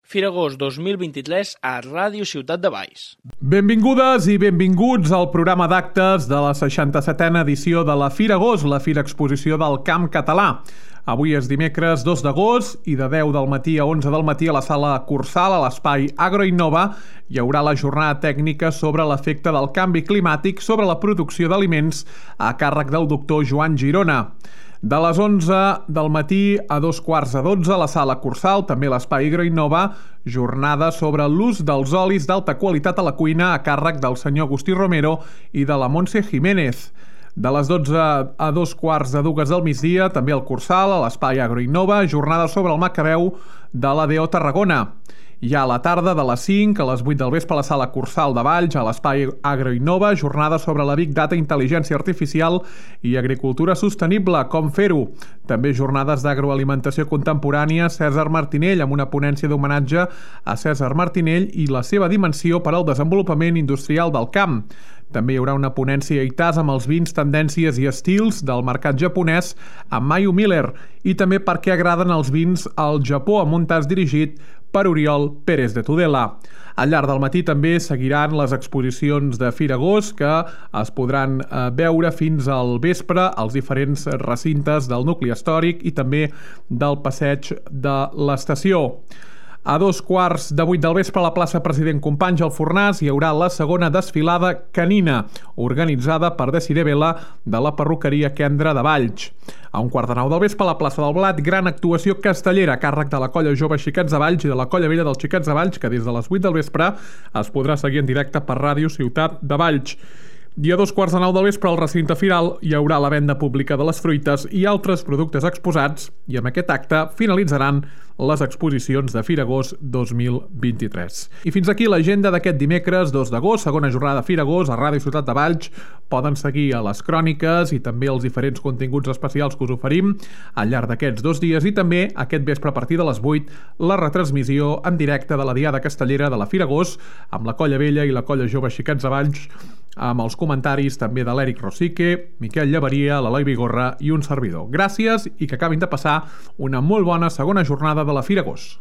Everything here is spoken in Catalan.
Firagost 2023 a Ràdio Ciutat de Valls. Benvingudes i benvinguts al programa d'actes de la 67a edició de la Firagost, la Fira Exposició del Camp Català. Avui és dimecres 2 d'agost i de 10 del matí a 11 del matí a la sala Cursal, a l'espai Agroinnova, hi haurà la jornada tècnica sobre l'efecte del canvi climàtic sobre la producció d'aliments a càrrec del doctor Joan Girona. De les 11 del matí a 11:45 a la sala Cursal, també a l'espai Agroinnova, jornada sobre l'ús dels olis d'alta qualitat a la cuina a càrrec del senyor Agustí Romero i de la Montse Jiménez. De les 12 a 2:45 del migdia, també al Cursal, a l'espai Agroinnova, jornada sobre el Macabeu de l'ADO Tarragona. I a la tarda, de les 5 a les 8 del vespre, a la sala Cursal de Valls, a l'espai Agroinnova, jornada sobre la Big Data, intel·ligència artificial i agricultura sostenible, com fer-ho. També jornades d'agroalimentació contemporània Cèsar Martinell, amb una ponència d'homenatge a Cèsar Martinell i la seva dimensió per al desenvolupament industrial del camp. També hi haurà una ponència a ITAS amb els vins, tendències i estils del mercat japonès amb Mayu Miller i també per què agraden els vins al Japó, amb un tas dirigit per Oriol Pérez de Tudela. Al llarg del matí també seguiran les exposicions de Firagost que es podran veure fins al vespre als diferents recintes del nucli històric i també del passeig de l'estació. A 7:15 del vespre a la plaça President Companys al Fornàs hi haurà la segona desfilada canina, organitzada per Desiré Vela de la perruqueria Kendra de Valls. A 8:45 del vespre a la plaça del Blat, gran actuació castellera a càrrec de la colla jove Xiquets de Valls i de la colla vella dels Xiquets de Valls, que des de les 8 del vespre es podrà seguir en directe per Ràdio Ciutat de Valls. I a 2:15 del vespre al recinte firal hi haurà la venda pública de les fruites i altres productes exposats i amb aquest acte finalitzaran les exposicions de Firagost 2023. I fins aquí l'agenda d'aquest dimecres 2 d'agost, segona jornada de Firagost a Ràdio Ciutat de Valls. Poden seguir a les cròniques i també els diferents continguts especials que us oferim al llarg d'aquests 2 dies i també aquest vespre a partir de les 8 la retransmissió en directe de la Diada Castellera de la Firagost amb la colla vella i la colla jove Xiquets de Valls, amb els comentaris també de l'Eric Rosique, Miquel Llaveria, l'Eloi Vigorra i un servidor. Gràcies i que acabin de passar una molt bona segona jornada de la Firagost.